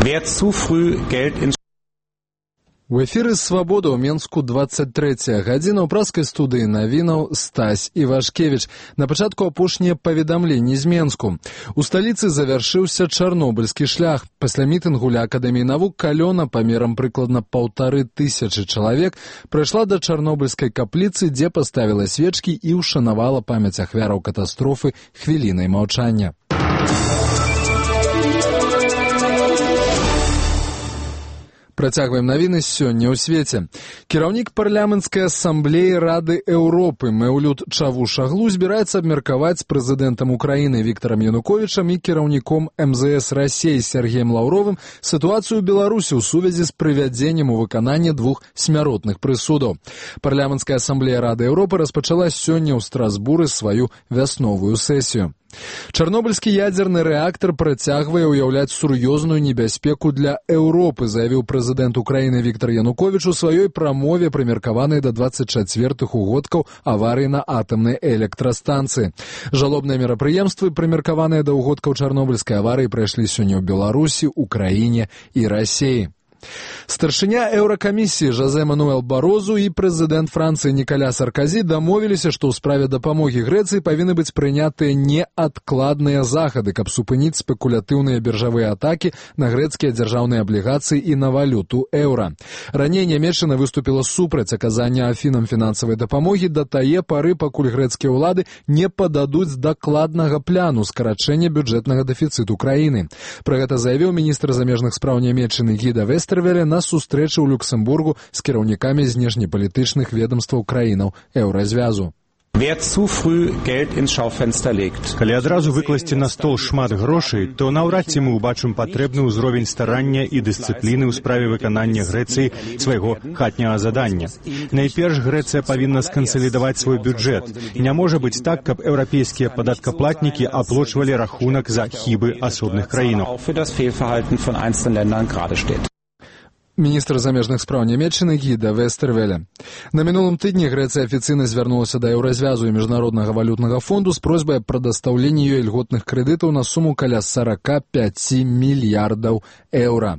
Wer zu früh Geld ins У эфіры «Свабода» ў Менску 23 гадзіна ў праскай студыі навінаў Стась Івашкевіч. На пачатку апошнія паведамленні з Менску. У сталіцы завяршыўся чарнобыльскі шлях. Пасля мітынгу ля Акадэміі навук калёна памерам прыкладна 1500 чалавек прайшла да чарнобыльскай капліцы, дзе паставіла свечкі і ўшанавала памяць ахвяраў катастрофы хвілінай маўчання. Працягваем навіны сёння ў свеце. Кіраўнік парламенцкай асамблеі Рады Еўропы Мэўлют Чавушаглу збіраецца абмеркаваць з прэзідэнтам Украіны Віктарам Януковічам і кіраўніком МЗС Расіі Сергеем Лаўровым сітуацыю ў Беларусі ў сувязі з прывядзеннем у выкананне 2 смяротных прысудаў. Парламенцкая асамблея Рады Еўропы распачала сёння ў Страсбуры сваю вясновую сесію. Чарнобыльскі ядзерны рэактар працягвае ўяўляць сур'ёзную небяспеку для Еўропы, заявіў прэзідэнт Украіны Віктар Януковіч у сваёй прамове, прымеркаванай да 24-х угодкаў аварыі на атамнай электрастанцыі. Жалобныя мерапрыемствы, прымеркаваныя да угодкаў чарнобыльскай аварыі, прайшлі сёння ў Беларусі, Украіне і Расіі. Старшыня Еўракамісіі Жозе Мануэл Барозу і прэзідэнт Францыі Нікаля Сарказі дамовіліся, што ў справе дапамогі Грэцыі павінны быць прынятыя неадкладныя захады, каб супыніць спекулятыўныя біржавыя атакі на грэцкія дзяржаўныя аблігацыі і на валюту еўра. Раней Нямецчына выступіла супраць аказання Афінам фінансавай дапамогі да тае пары, пакуль грэцкія ўлады не пададуць дакладнага пляну скарачэння бюджэтнага дэфіцыту краіны. Пра гэта заявіў міністр замежных спраў Нямецчыны Гіда Вестэрвеле на сустрэчы ў Люксембургу з кіраўнікамі знешнепалітычных ведомстваў краінаў еўразвязу. Wer zu früh Geld ins Schaufenster legt. Калі адразу выкласці на стол шмат грошай, то наўрад ці мы ўбачым патрэбны ўзровень старання і дысцыпліны ў справе выканання Грэцыі свайго хатняга задання. Найперш Грэцыя павінна скансалідаваць свой бюджэт. Не можа быць так, каб еўрапейскія падаткаплатнікі аплочвалі рахунак за хібы асобных краінаў. Міністр замежных спраў Нямецчыны Гіда Вестэрвеле. На мінулым тыдні Грэцыя афіцыйна звярнулася да еўразвязу і міжнароднага валютнага фонду з просьбай аб прадастаўленні ёй льготных крэдытаў на суму каля 45 мільярдаў еўра.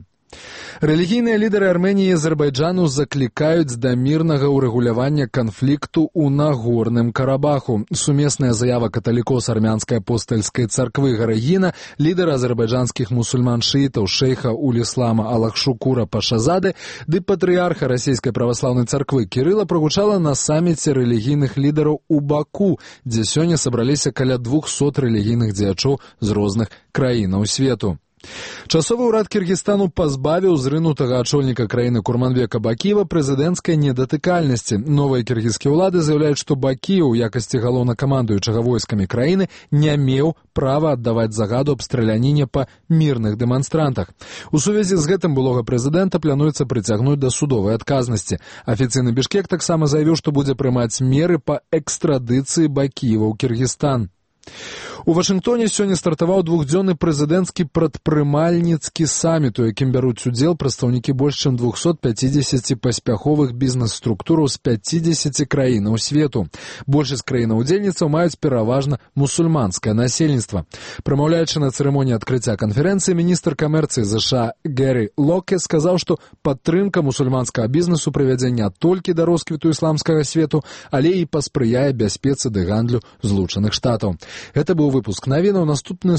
Рэлігійныя лідары Арменіі і Азербайджану заклікаюць да мірнага ўрэгулявання канфлікту ў Нагорным Карабаху. Сумесная заява каталікоў з армянскай апостальскай царквы Гарагіна, лідара азербайджанскіх мусульман-шыітаў шэйха Уліслама Алахшукура Пашазады ды патрыярха расійскай праваслаўнай царквы Кірыла прагучала на саміце рэлігійных лідараў у Баку, дзе сёння сабраліся каля 200 рэлігійных дзеячоў з розных краінаў свету. Часовы ўрад Кіргізстану пазбавіў зрынутага ачольніка краіны Курманбека Бакіева прэзідэнцкай недатыкальнасці. Новыя кіргізскія ўлады заяўляюць, што Бакіев у якасці галоўнакамандуючага войскамі краіны не меў права аддаваць загаду аб страляніне па мірных дэманстрантах. У сувязі з гэтым былога прэзідэнта плануецца прыцягнуць да судовай адказнасці. Афіцыйны Бішкек таксама заявіў, што будзе прымаць меры па экстрадыцыі Бакіева ў Кіргізстан. У Вашынгтоне сёння стартаваў двухдзённы прэзідэнцкі прадпрымальніцкі саміт, у якім бяруць удзел прадстаўнікі больш чым 250 паспяховых бізнес-структураў з 50 краінаў свету. Большасць краінаў-удзельніцаў маюць пераважна мусульманскае насельніцтва. Прамаўляючы на цырымоніі адкрыцця канферэнцыі, міністр камерцыі ЗША Гэры Локе сказаў, што падтрымка мусульманскага бізнесу прывядзе не толькі да росквіту ісламскага свету, але і паспрыяе бяспецы ды гандлю Злучаных Штатаў. Гэта быў выпуск навінаў. Наступны